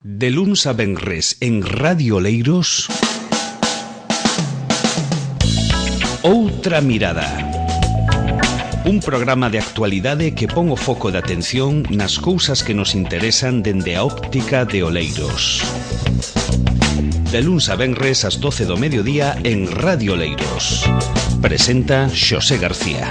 De luns a venres en Radio Oleiros, Outra Mirada. Un programa de actualidade que pon o foco de atención nas cousas que nos interesan dende a óptica de Oleiros. De luns a venres ás 12 do mediodía en Radio Oleiros. Presenta Xosé García.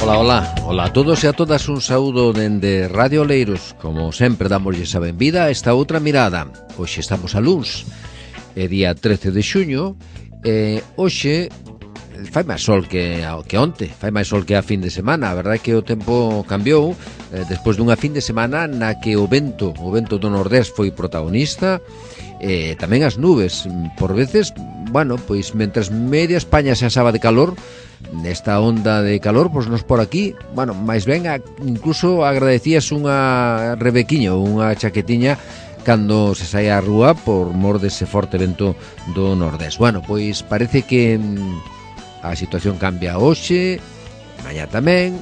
Ola a todos e a todas, un saúdo dende Radio Oleiros. Como sempre, damoslle a benvida a esta outra mirada. Hoxe estamos a luns, é día 13 de xuño, e hoxe fai máis sol que onte, fai máis sol que a fin de semana. A verdade é que o tempo cambiou despois dunha fin de semana na que o vento do nordés foi protagonista, e tamén as nubes, por veces, bueno, pois mentres media España se asaba de calor, nesta onda de calor, pois nos por aquí, bueno, máis ben, incluso agradecías unha rebequiña, unha chaquetiña cando se saía á rúa por mor dese forte vento do nordés. Bueno, pois parece que a situación cambia hoxe, mañá tamén,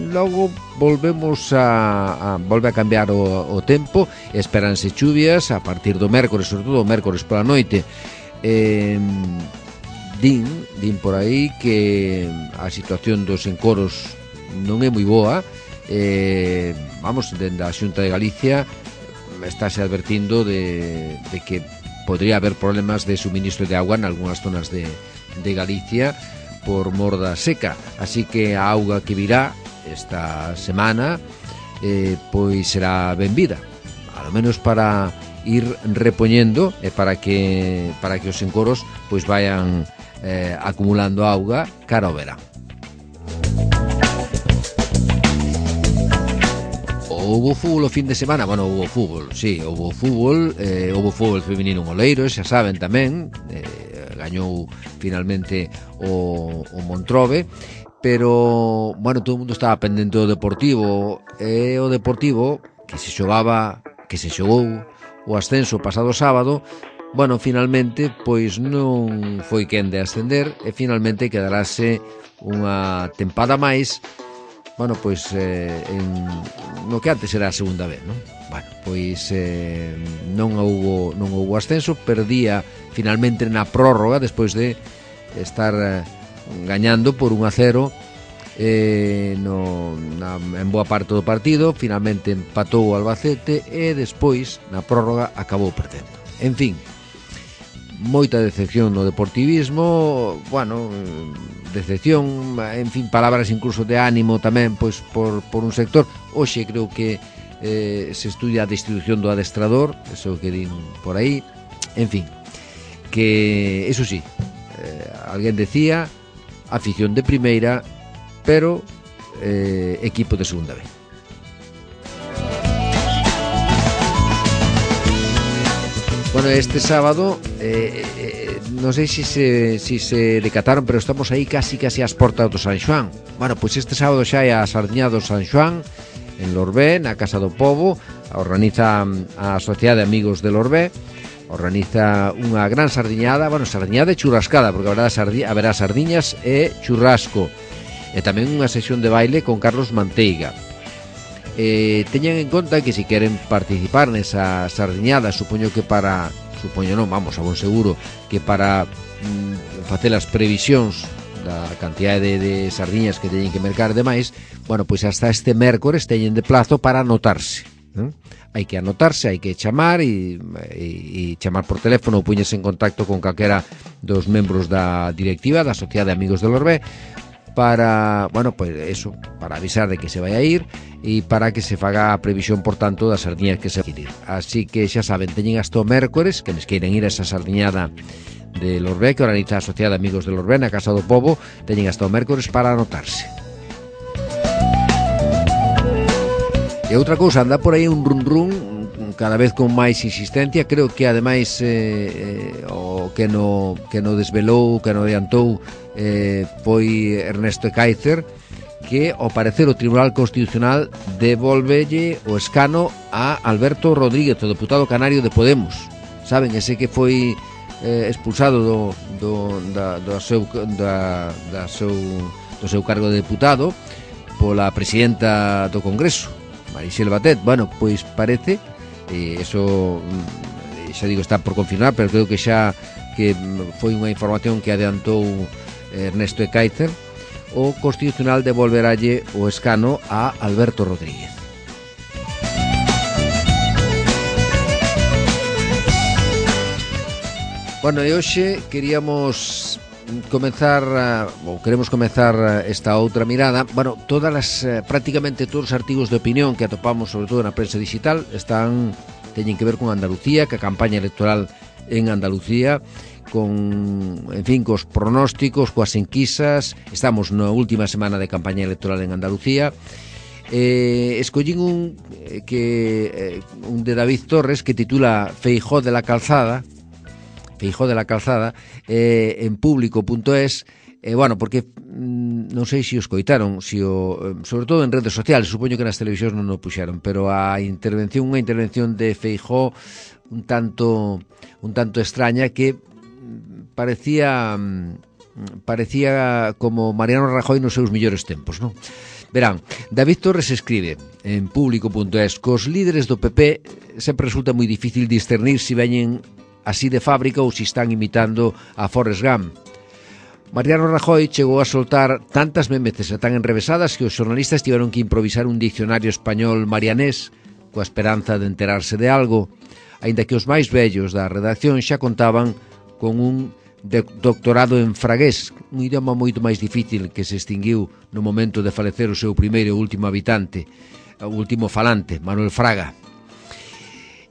logo volvemos volve a cambiar o tempo, esperanse chuvias a partir do mércores, sobre todo o mércores pola noite. Din por aí que a situación dos encoros non é moi boa. Vamos, dende a Xunta de Galicia estáse advertindo de que podría haber problemas de suministro de agua en algunhas zonas de Galicia por mor da seca, así que a auga que virá esta semana pois será benvida, ao menos para ir repoñendo e para que os encoros pois vayan acumulando auga cara ao verán. Houbo fútbol o fin de semana, bueno, houbo fútbol feminino en Oleiros, xa saben tamén, gañou finalmente o Montrobe, pero, bueno, todo o mundo estaba pendente do Deportivo, e o Deportivo, que se xogou o ascenso pasado sábado, bueno, finalmente, pois non foi quen de ascender, e finalmente quedarase unha tempada máis, bueno, pois no que antes era a segunda vez, non? Bueno, pois non houbo ascenso, perdía finalmente na prórroga despois de estar gañando por 1-0 en boa parte do partido. Finalmente empatou o Albacete e despois na prórroga acabou perdendo. En fin, moita decepción no deportivismo, bueno, decepción, en fin, palabras incluso de ánimo tamén, pois por un sector. Hoxe creo que se estudia a distribución do adestrador, eso que din por aí, en fin, que eso sí, alguén decía afición de primeira, pero equipo de segunda vez. Bueno, este sábado non sei se se decataron, pero estamos aí casi ás portas do San Xoán. Bueno, pois este sábado xa é a sardiña do San Xoán en Lorbé, na Casa do Pobo. Organiza a Sociedade de Amigos de Lorbé, organiza unha gran sardiñada, bueno, sardiñada e churrascada, porque haberá sardiñas e churrasco, e tamén unha sesión de baile con Carlos Manteiga. Teñan en conta que se queren participar nesa sardiñada, supoño non, vamos, a bon seguro que para facer as previsións da cantidade de sardiñas que teñen que mercar e demais, bueno, pois hasta este mércores teñen de plazo para anotarse, hai que anotarse, hai que chamar e chamar por teléfono ou puñerse en contacto con calquera dos membros da directiva da Sociedade de Amigos de Lorbé para, bueno, pois eso, para avisar de que se vai a ir e para que se faga a previsión, por tanto, das sardiñas que se vai a ir. Así que xa saben, teñen hasta o mércores, que les queiren ir a esa sardiñada de Lorbé que organiza a Sociedade de Amigos de Lorbé na Casa do Pobo, teñen hasta o mércores para anotarse. E outra cousa, anda por aí un run cada vez con máis insistencia. Creo que ademais o que no desvelou, que no adiantou foi Ernesto Ekaizer, que ao parecer o Tribunal Constitucional devolvelle o escano a Alberto Rodríguez, o deputado canario de Podemos. Saben, ese que foi expulsado do seu cargo de deputado pola presidenta do Congreso, Marixel Batet. Bueno, pois parece, eso xa digo, está por confirmar, pero creo que xa que foi unha información que adiantou Ernesto Ekaizer, o Constitucional devolveralle o escano a Alberto Rodríguez. Bueno, e hoxe queremos comezar esta outra mirada. Bueno, prácticamente todos os artigos de opinión que atopamos, sobre todo na prensa digital, teñen que ver con Andalucía, que a campaña electoral en Andalucía, cos pronósticos, coas enquisas. Estamos na última semana de campaña electoral en Andalucía. Escollín un de David Torres que titula Feijóo de la Calzada, en público.es. Bueno, porque non sei se o escoitaron, sobre todo en redes sociales, supoño que nas televisións non o puxeron, pero unha intervención de Feijóo un tanto extraña, que parecía como Mariano Rajoy nos seus mellores tempos, non? Verán, David Torres escribe en público.es: cos líderes do PP sempre resulta moi difícil discernir se veñen así de fábrica ou se están imitando a Forrest Gump. Mariano Rajoy chegou a soltar tantas memeces e tan enrevesadas que os xornalistas tiveron que improvisar un diccionario español marianés coa esperanza de enterarse de algo, aínda que os máis vellos da redacción xa contaban con un doctorado en fragués, un idioma moito máis difícil que se extinguiu no momento de falecer o seu primeiro e último falante, Manuel Fraga.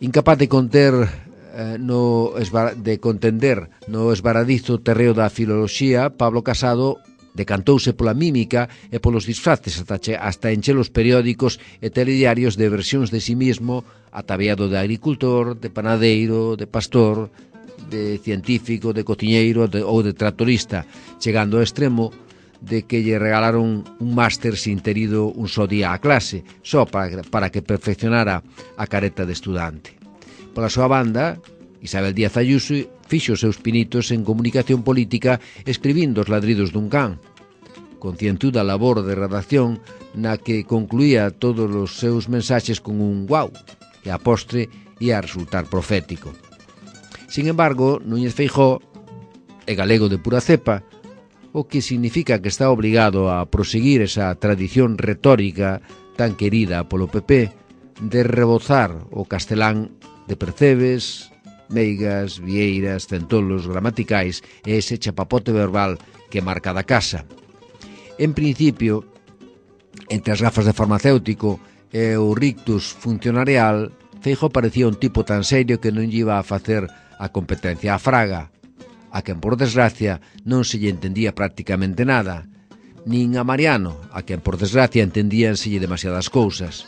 Incapaz de contender no esvaradizo terreo da filoloxía, Pablo Casado decantouse pola mímica e polos disfraces hasta encher os periódicos e telediarios de versións de sí mismo, ataviado de agricultor, de panadeiro, de pastor, de científico, de cociñeiro ou de tractorista, chegando ao extremo de que lle regalaron un máster sin ter ido un só día á clase, só para que perfeccionara a careta de estudante. Pola súa banda, Isabel Díaz Ayuso fixo os seus pinitos en comunicación política escribindo os ladridos dun can, concientuda labor de redacción na que concluía todos os seus mensaxes con un guau, que a postre ia resultar profético. Sin embargo, Núñez Feijóo é galego de pura cepa, o que significa que está obrigado a proseguir esa tradición retórica tan querida polo PP de rebozar o castelán de percebes, meigas, vieiras, centolos gramaticais e ese chapapote verbal que marca da casa. En principio, entre as gafas de farmacéutico e o rictus funcionarial, Feijóo parecía un tipo tan serio que non lle iba a facer a competencia a Fraga, a quen por desgracia non se lle entendía prácticamente nada, nin a Mariano, a quen por desgracia entendíanselle demasiadas cousas.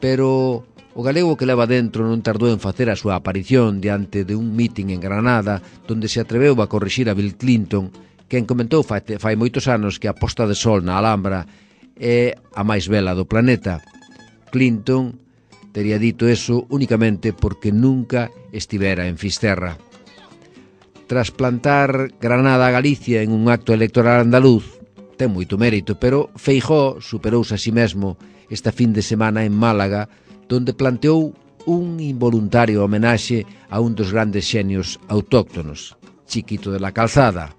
Pero o galego que leva dentro non tardou en facer a súa aparición diante de un mitin en Granada, donde se atreveu a corrixir a Bill Clinton, quen comentou fai moitos anos que a posta de sol na Alhambra é a máis bela do planeta. Clinton tería dito eso únicamente porque nunca estivera en Fisterra. Tras plantar Granada a Galicia en un acto electoral andaluz, ten moito mérito, pero Feijóo superouse a si mesmo esta fin de semana en Málaga, donde planteou un involuntario homenaxe a un dos grandes xenios autóctonos, Chiquito de la Calzada.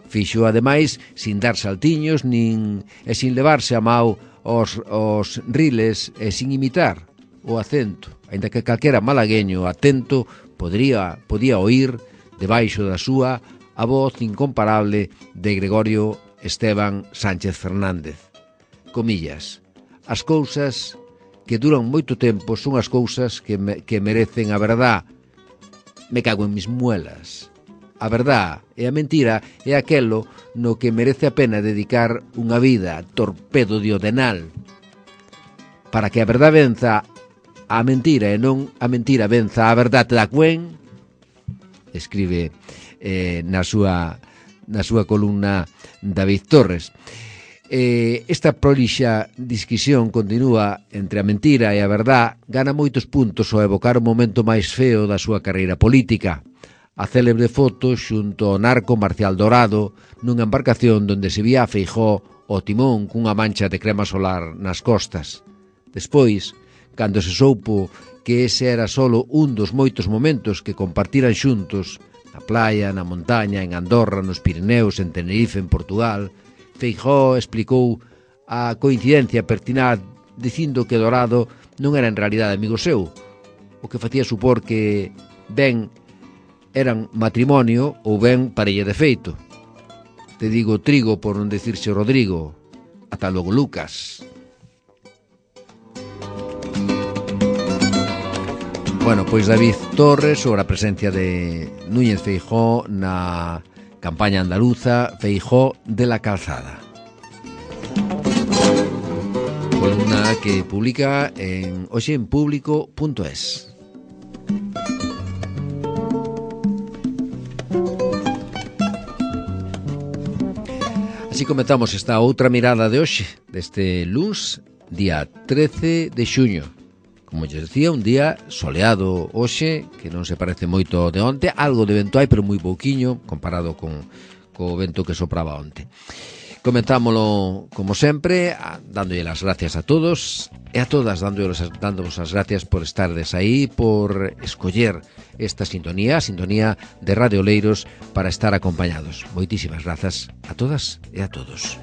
Fixo, ademais, sin dar saltiños e sin levarse a mau os riles e sin imitar o acento, aínda que calquera malagueño atento podía oír debaixo da súa a voz incomparable de Gregorio Esteban Sánchez Fernández. Comillas: as cousas que duran moito tempo son as cousas que merecen a verdad. Me cago en mis muelas. A verdad e a mentira é aquelo no que merece a pena dedicar unha vida, torpedo diodenal. Para que a verdad venza a mentira e non a mentira venza a verdade da cuen, escribe na súa columna David Torres. Esta prolixa disquisión continúa entre a mentira e a verdad, gana moitos puntos ao evocar o momento máis feo da súa carreira política, a célebre foto xunto ao narco Marcial Dorado nunha embarcación donde se vía a Feijóo o timón cunha mancha de crema solar nas costas. Despois, cando se soupo que ese era solo un dos moitos momentos que compartiran xuntos, na playa, na montaña, en Andorra, nos Pirineos, en Tenerife, en Portugal, Feijóo explicou a coincidencia pertinaz dicindo que Dorado non era en realidade amigo seu, o que facía supor que ben eran matrimonio ou ben parella de feito. Te digo trigo por non decirse Rodrigo. Ata logo, Lucas. Bueno, pois David Torres sobre a presencia de Núñez Feijóo na campaña andaluza Feijóo de la Calzada. Columna que publica en hoxeenpublico.es. Así comenzamos esta outra mirada de hoxe, deste luns, día 13 de xuño. Como eu decía, un día soleado hoxe, que non se parece moito de onte, algo de vento hai, pero moi pouquiño, comparado co vento que sopraba onte. Comenzámolo, como sempre, dándolle as gracias a todos e a todas, dándonos as gracias por estardes aí, por escoller esta sintonía, a sintonía de Radio Oleiros, para estar acompañados. Moitísimas grazas a todas e a todos.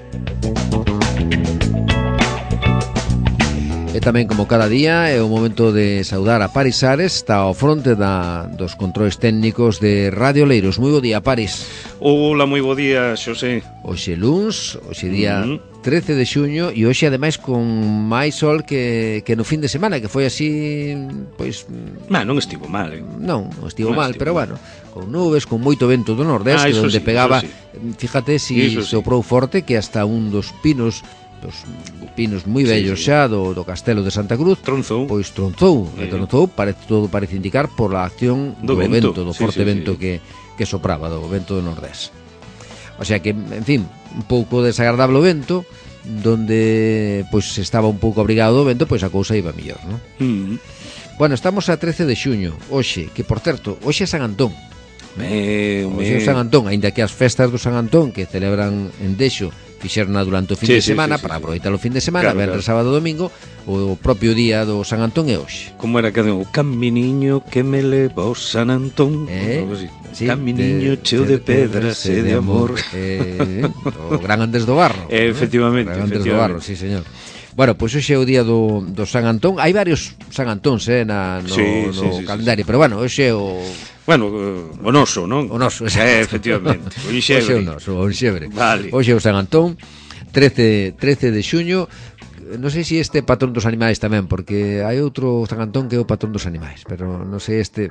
E tamén, como cada día, é o momento de saudar a Paris Ares, está ao fronte dos controis técnicos de Radio Oleiros. Moi bo día, Paris. Hola, moi bo día, Xosé. Hoxe luns, hoxe día 13 de xuño, e hoxe ademais con máis sol que no fin de semana, que foi así, pois... Non estivo mal, Non estivo mal, pero bueno, con nubes, con moito vento do nordeste, onde pegaba, fíjate si soprou forte, que hasta un dos pinos moi vellos xa do Castelo de Santa Cruz tronzou, todo parece indicar por a acción do vento, do forte vento que sopraba, do vento do nordés. O sea que, en fin, un pouco desagradable o vento, donde pois estaba un pouco abrigado do vento, pois a cousa iba mellor, non? Bueno, estamos a 13 de xuño, hoxe, que por certo, hoxe é San Antón. Hoxe é San Antón, aínda que as festas do San Antón que celebran en Dexo fixerna durante o fin de semana, para aproveitar o fin de semana, venres, sábado, domingo, o propio día do San Antón é hoxe. Como era que o caminiño que me leva ao San Antón, caminiño cheo de pedras e de amor. O Gran Andrés do Barro. Efectivamente. Gran Andrés do Barro, sí, señor. Bueno, pois hoxe é o día do San Antón. Hai varios San Antóns no calendario, pero bueno, hoxe é o... Bueno, o noso, non? O noso, efectivamente. O Hoxe é o noso, o Xebre. Vale. Hoxe é o San Antón, 13 de xuño. Non sei se este é patrón dos animais tamén, porque hai outro San Antón que é o patrón dos animais, pero non sei este...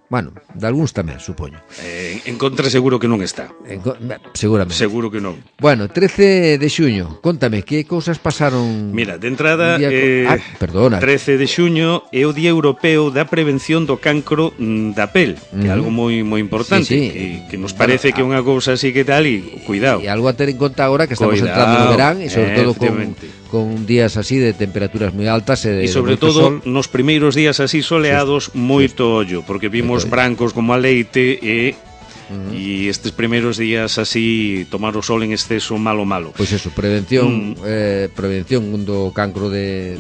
Bueno, de algúns tamén, supoño. En contra seguro que non está. Seguramente. Seguro que non. Bueno, 13 de xuño, contame, que cousas pasaron... Mira, de entrada, perdona. 13 de xuño é o Día Europeo da Prevención do Cancro da Pel, que é algo moi importante, que nos parece que é unha cousa así que tal, e cuidado. E algo a ter en conta agora que estamos entrando no verán, e sobre todo con días así de temperaturas moi altas e sobre todo nos primeiros días así soleados, moito ollo, porque vimos brancos como a leite e estes primeiros días así tomar o sol en exceso malo. Pois eso, prevención do cancro de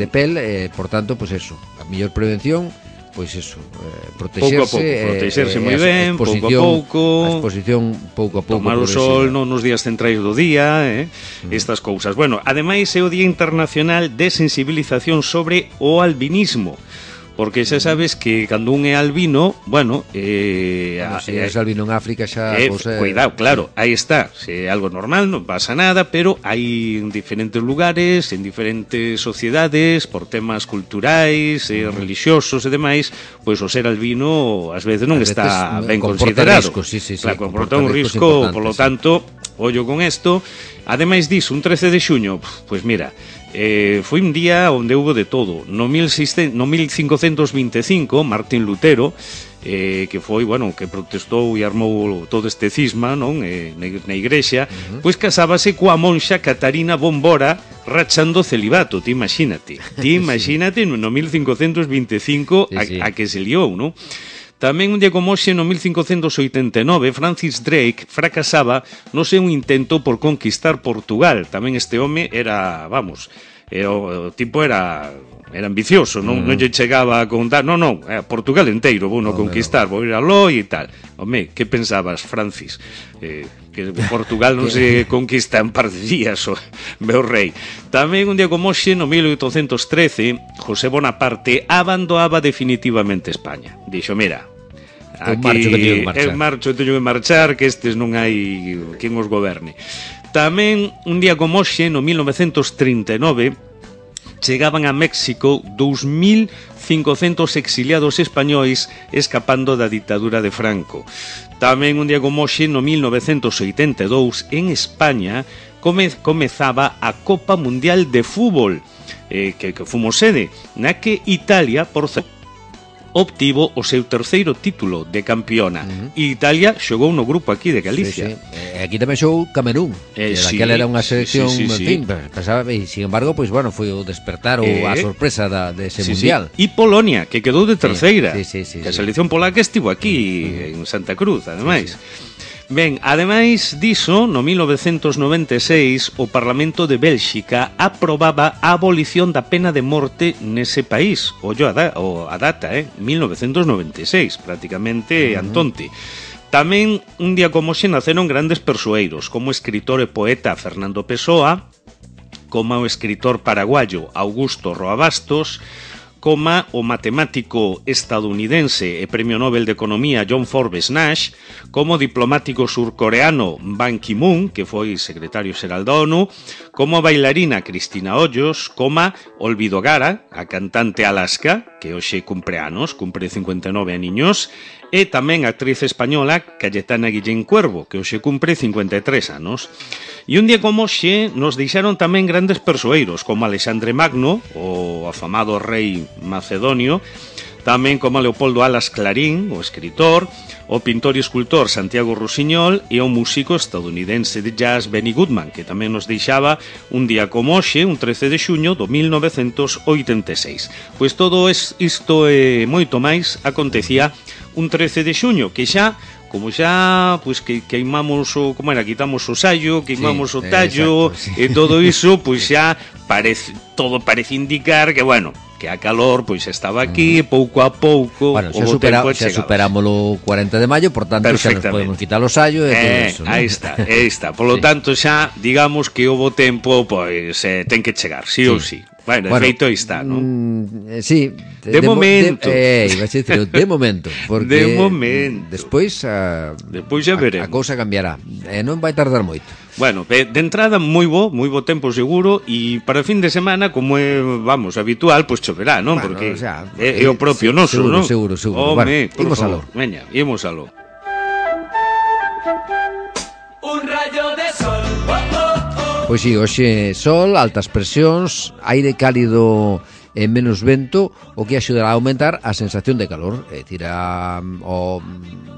pel, por tanto, pois eso, a mellor prevención, pois eso, protexerse moi ben, pouco a pouco, a exposición pouco a pouco, tomar o sol nos días centrais do día, estas cousas. Bueno, ademais é o Día Internacional de Sensibilización sobre o Albinismo, porque xa sabes que cando un é albino, bueno, se é albino en África xa cuidado, claro, aí está, se é algo normal, non pasa nada, pero hai en diferentes lugares, en diferentes sociedades, por temas culturais, relixiosos e demais, pois o ser albino ás veces non está ben considerado. Claro, comporta un risco, polo tanto, ollo con isto. Ademais disso, un 13 de xuño, pois mira, foi un día onde houve de todo. No 1525, Martín Lutero, que foi, bueno, que protestou e armou todo este cisma, non, na igrexa, pois casábase coa monxa Catarina Bombora, rachando celibato, ti imagínate no 1525 a que se liou, non? Tamén un día como hoxe, no 1589, Francis Drake fracasaba no seu intento por conquistar Portugal. Tamén este home era, vamos, o tipo era ambicioso, non lle chegaba a contar, non, Portugal inteiro vou no conquistar, vou ir aló e tal. Home, que pensabas, Francis? Que Portugal non se conquista en par de días, o meu rei. Tamén un día como hoxe, no 1813, José Bonaparte abandoaba definitivamente España. Dixo, mira, aquí marcho, teño que marchar, que estes non hai quen os goberne. Tamén un día como hoxe, no 1939, chegaban a México 2.500 exiliados españois escapando da ditadura de Franco. Tamén un día como hoxe, no 1982, en España comezaba a Copa Mundial de Fútbol, que fomos sede, na que Italia, por certo, obtivo o seu terceiro título de campeona. E Italia xogou no grupo aquí de Galicia. Sí. Aquí tamén xogou Camerún, que daquela era unha selección, en fin, pensaba, e sin embargo, pois bueno, foi o despertar ou a sorpresa dese mundial. E Polonia, que quedou de terceira. Que a selección polaca estivo aquí en Santa Cruz, ademais. Ben, ademais diso, no 1996, o Parlamento de Bélxica aprobaba a abolición da pena de morte nese país. Ollo a data, 1996, prácticamente antonte. Tamén, un día como xe, naceron grandes persoeiros, como o escritor e poeta Fernando Pessoa, como o escritor paraguayo Augusto Roa Bastos, como o matemático estadounidense e premio Nobel de Economía John Forbes Nash, como o diplomático surcoreano Ban Ki-moon, que foi secretario xeral da ONU, como a bailarina Cristina Hoyos, como Olvido Gara, a cantante Alaska, que hoxe cumpre anos, cumpre 59 aniños, e tamén a actriz española Cayetana Guillén Cuervo, que hoxe cumpre 53 anos. E un día como hoxe nos deixaron tamén grandes persoeiros, como Alexandre Magno, o afamado rei macedonio, tamén como Leopoldo Alas Clarín, o escritor, o pintor e escultor Santiago Rusiñol e o músico estadounidense de jazz Benny Goodman, que tamén nos deixaba un día como hoxe, un 13 de xuño do 1986. Pois todo isto e moito máis acontecía un 13 de xuño, que xa, como xa, pois que queimamos o, como era, quitamos o saio, queimamos o tallo, exacto, e todo iso, pois xa todo parece indicar que, bueno, que a calor pois estaba aquí, pouco a pouco, bueno, xa superámoslo o 40 de maio, por tanto xa nos podemos quitar o saio e todo eso, ¿no? Aí está. Por lo tanto xa, digamos que o bo tempo pois ten que chegar, sí ou sí. Bueno, de feito aí está, non? Sí, de momento. De momento, porque de momento. Despois xa veremos. A cousa cambiará, non vai tardar moito. Bueno, de entrada moi bo tempo seguro, e para fin de semana, como é, vamos, habitual, pois choverá, non? Bueno, porque o sea, é o propio noso, non? Seguro. Home, bueno, imos aló. Veña, imos aló. Un rayo de sol. Pois si, hoxe sol, altas presións, aire cálido e menos vento, o que axudará a aumentar a sensación de calor. É dicir, ao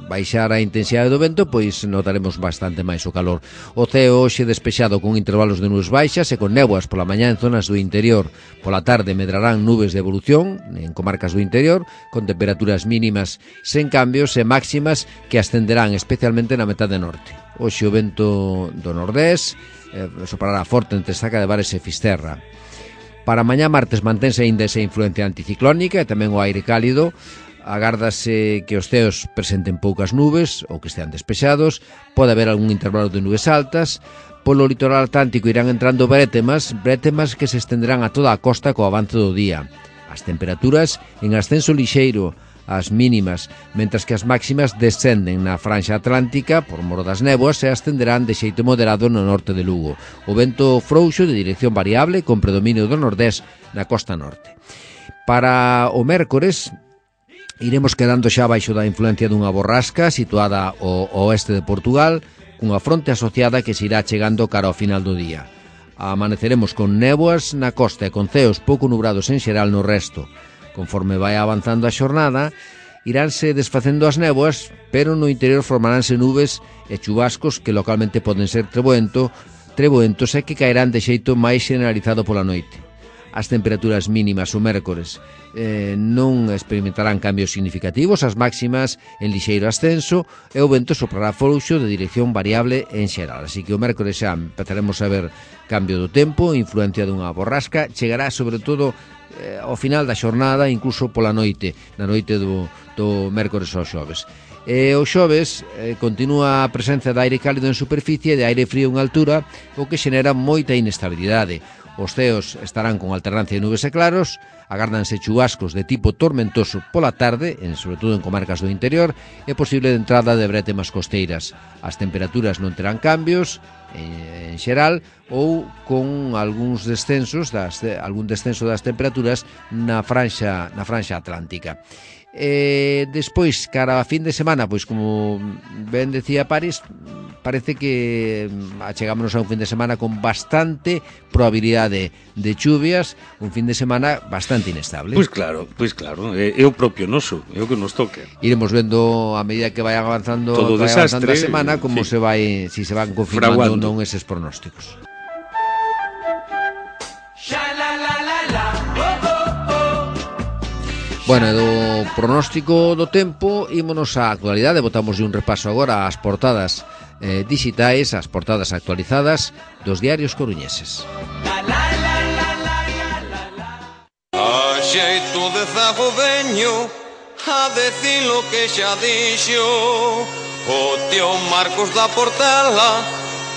baixar a intensidade do vento, pois notaremos bastante máis o calor. O ceo hoxe despexado con intervalos de nubes baixas e con néboas pola mañá en zonas do interior. Pola tarde medrarán nubes de evolución en comarcas do interior, con temperaturas mínimas sen cambios e máximas que ascenderán especialmente na metade norte. Hoxe o vento do nordés soprará forte entre Saca de Bares e Fisterra. Para mañá martes mantense aínda esa influencia anticiclónica e tamén o aire cálido. Agárdase que os ceos presenten poucas nubes ou que estean despexados. Pode haber algún intervalo de nubes altas. Polo litoral atlántico irán entrando brétemas que se estenderán a toda a costa co avance do día. As temperaturas en ascenso lixeiro, as mínimas, mentras que as máximas descenden na franxa atlántica por mor das néboas e ascenderán de xeito moderado no norte de Lugo. O vento frouxo de dirección variable con predominio do nordés na costa norte. Para o mércores iremos quedando xa baixo da influencia dunha borrasca situada ao oeste de Portugal, cunha fronte asociada que se irá chegando cara ao final do día. Amaneceremos con néboas na costa e con ceos pouco nubrados en xeral no resto. Conforme vai avanzando a xornada, iránse desfacendo as néboas, pero no interior formaránse nubes e chubascos que localmente poden ser treboentos e que caerán de xeito máis generalizado pola noite. as temperaturas mínimas o mércores non experimentarán cambios significativos, as máximas en lixeiro ascenso e o vento soprará frouxo de dirección variable en xeral. Así que o mércores xa empezaremos a ver cambio do tempo, influencia dunha borrasca, chegará sobre todo ao final da xornada, incluso pola noite, na noite do mércores ao xoves. E o xoves continúa a presenza de aire cálido en superficie e de aire frío en altura, o que xenera moita inestabilidade. Os ceos estarán con alternancia de nubes e claros, agárdanse chubascos de tipo tormentoso pola tarde, sobre todo en comarcas do interior, e posible de entrada de brétemas costeiras. As temperaturas non terán cambios en xeral ou con algún descenso das temperaturas na franxa atlántica. Despois, cara a fin de semana, pois como ben decía Paris, parece que achegámonos a un fin de semana con bastante probabilidade de chuvias, un fin de semana bastante inestable. Pois claro, é o propio noso, é o que nos toca. Iremos vendo a medida que vai avanzando a semana como se vai, si se van confirmando ou non eses pronósticos. Bueno, do pronóstico do tempo ímonos á actualidade, botamos un repaso agora ás portadas digitais, ás portadas actualizadas dos diarios coruñeses. A xeito de zago veño a decir lo que xa dixo o tío Marcos da Portela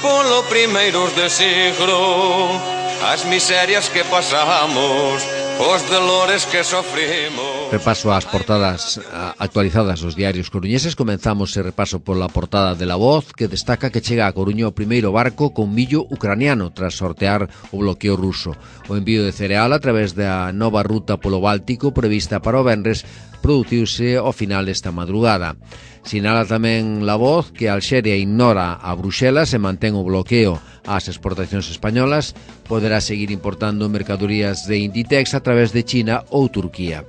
polo primeiros de siglo, as miserias que pasamos, os dolores que sofrimos. Repaso ás portadas actualizadas dos diarios coruñeses. Comenzamos ese repaso pola portada de La Voz, que destaca que chega a Coruña o primeiro barco con millo ucraniano tras sortear o bloqueo ruso. O envío de cereal a través da nova ruta polo Báltico prevista para o venres produciuse ao final esta madrugada. Sinala tamén La Voz que Alxeria ignora a Bruxelas e mantén o bloqueo ás exportacións españolas, poderá seguir importando mercadorías de Inditex a través de China ou Turquía.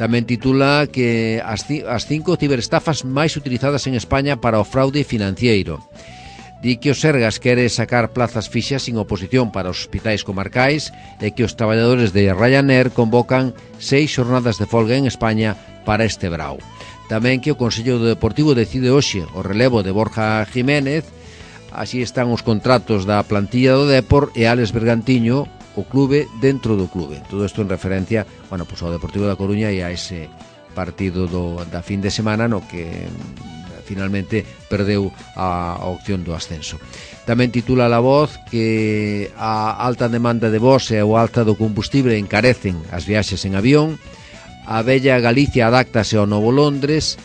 Tamén titula que as 5 ciberestafas máis utilizadas en España para o fraude financiero. Di que o Sergas quere sacar plazas fixas sin oposición para os hospitais comarcais e que os traballadores de Ryanair convocan 6 xornadas de folga en España para este brao. Tamén que o Consello Deportivo decide hoxe o relevo de Borja Jiménez. Así están os contratos da plantilla do Depor e Álex Bergantiño, o clube dentro do clube. Todo isto en referencia, bueno, pues ao Deportivo da Coruña e a ese partido da fin de semana no que finalmente perdeu a opción do ascenso. Tamén titula La Voz que a alta demanda de voos e o alta do combustible encarecen as viaxes en avión. A bella Galicia adáctase ao novo Londres,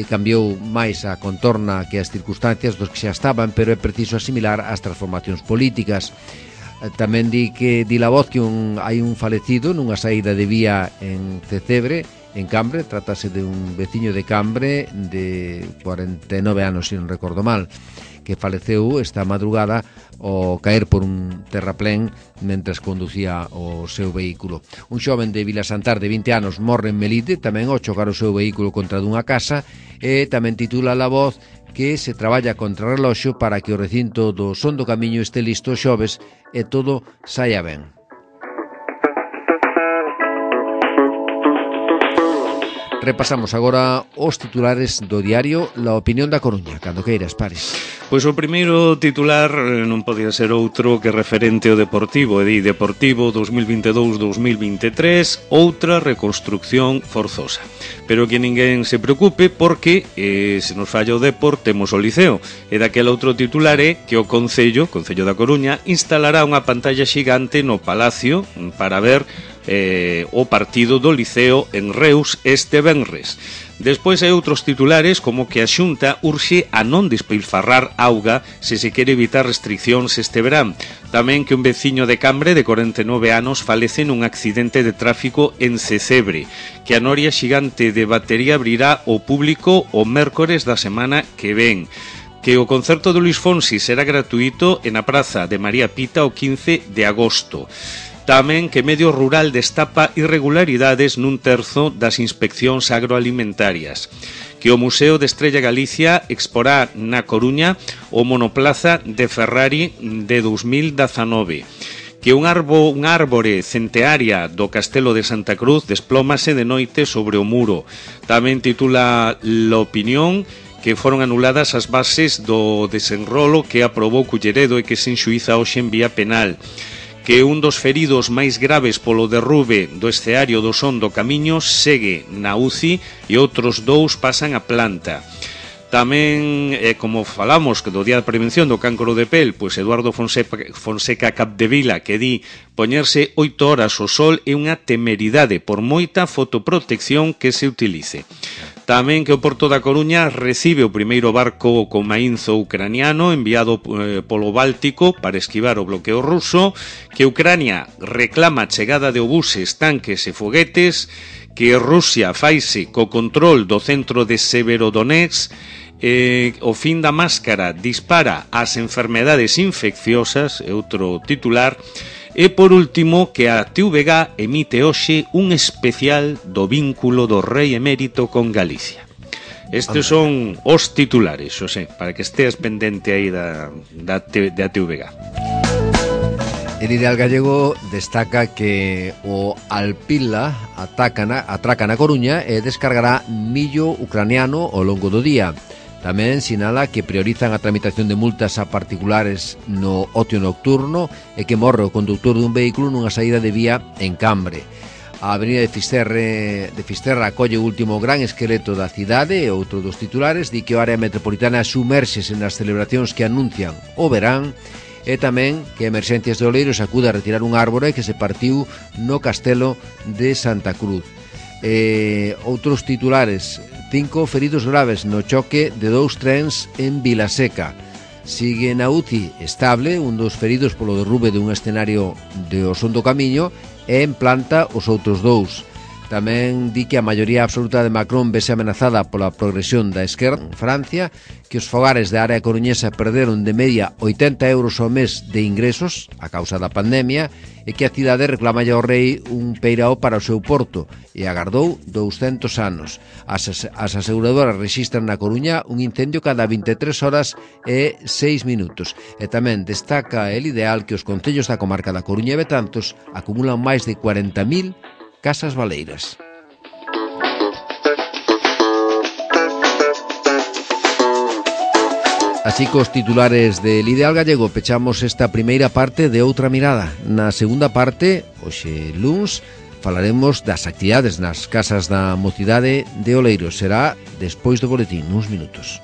cambiou máis a contorna que as circunstancias dos que xa estaban, pero é preciso asimilar as transformacións políticas. Tamén di La Voz que hai un falecido nunha saída de vía en Cecebre, en Cambre. Trátase de un veciño de Cambre de 49 anos, se non recordo mal, que faleceu esta madrugada ao caer por un terraplén mentres conducía o seu vehículo. Un xoven de Vilasantar de 20 anos morre en Melide tamén ao chocar o seu vehículo contra dunha casa. E tamén titula La Voz que se traballa contra reloxo para que o recinto do Son do Camiño este listo xoves e todo saia ben. Repasamos agora os titulares do diario La Opinión da Coruña. Cando queiras, Paris. Pois o primeiro titular non podía ser outro que referente ao Deportivo, Deportivo 2022-2023, outra reconstrucción forzosa. Pero que ninguén se preocupe porque se nos falla o Depor, temos o Liceo. E daquela outro titular é que o Concello da Coruña, instalará unha pantalla xigante no Palacio para ver o partido do Liceo en Reus este venres. Despois hai outros titulares como que a Xunta urxe a non despilfarrar auga se se quere evitar restriccións este verán. Tamén que un veciño de Cambre de 49 anos falece nun accidente de tráfico en Cecebre. Que a noria xigante de batería abrirá ao público o mércores da semana que ven. Que o concerto de Luis Fonsi será gratuito en a Praza de María Pita o 15 de agosto. Tamén que Medio Rural destapa irregularidades nun terzo das inspeccións agroalimentarias. Que o Museo de Estrella Galicia exporá na Coruña o monoplaza de Ferrari de 2019. que unha árbore centearia do Castelo de Santa Cruz desplómase de noite sobre o muro. Tamén titula L'Opinión que foron anuladas as bases do desenrolo que aprobou Culleredo e que se enxuíza hoxe en vía penal, que un dos feridos máis graves polo derrube do esceario do Son do Camiño segue na UCI e outros 2 pasan a planta. Tamén, como falamos do Día de Prevención do Cancro de Pel, pois Eduardo Fonseca Capdevila que di poñerse 8 horas ao sol é unha temeridade por moita fotoprotección que se utilice. Tamén que o Porto da Coruña recibe o primeiro barco con mainzo ucraniano enviado polo Báltico para esquivar o bloqueo ruso, que Ucrania reclama a chegada de obuses, tanques e foguetes, que Rusia faise co control do centro de Severodonetsk, o fin da máscara dispara as enfermedades infecciosas, é outro titular, e por último que a TVG emite hoxe un especial do vínculo do rei emérito con Galicia. Estes son os titulares, Xosé, para que esteas pendente aí da TVG. El Ideal Gallego destaca que o Alpila atraca na Coruña e descargará millo ucraniano ao longo do día. Tamén sinala que priorizan a tramitación de multas a particulares no ocio nocturno e que morre o conductor dun vehículo nunha saída de vía en Cambre. A avenida de Fisterra acolle o último gran esqueleto da cidade e outro dos titulares di que o área metropolitana sumérxese nas celebracións que anuncian o verán e tamén que Emerxencias de Oleiros acude a retirar un árbore que se partiu no Castelo de Santa Cruz. Outros titulares: 5 feridos graves no choque de 2 trens en Vilaseca. Sigue na UCI estable un dos feridos polo derrube dun escenario de O Son do Camiño e en planta os outros 2. Tamén di que a maioría absoluta de Macron vese amenazada pola progresión da esquerda en Francia, que os fogares da área coruñesa perderon de media 80 euros ao mes de ingresos a causa da pandemia e que a cidade reclama ao rei un peirao para o seu porto e agardou 200 anos. As aseguradoras rexistran na Coruña un incendio cada 23 horas e 6 minutos. E tamén destaca El Ideal que os concellos da comarca da Coruña e Betanzos acumulan máis de 40.000 casas baleiras. Así cos titulares del Ideal Gallego pechamos esta primeira parte de Outra Mirada. Na segunda parte, hoxe luns, falaremos das actividades nas casas da mocidade de Oleiros. Será despois do boletín, uns minutos.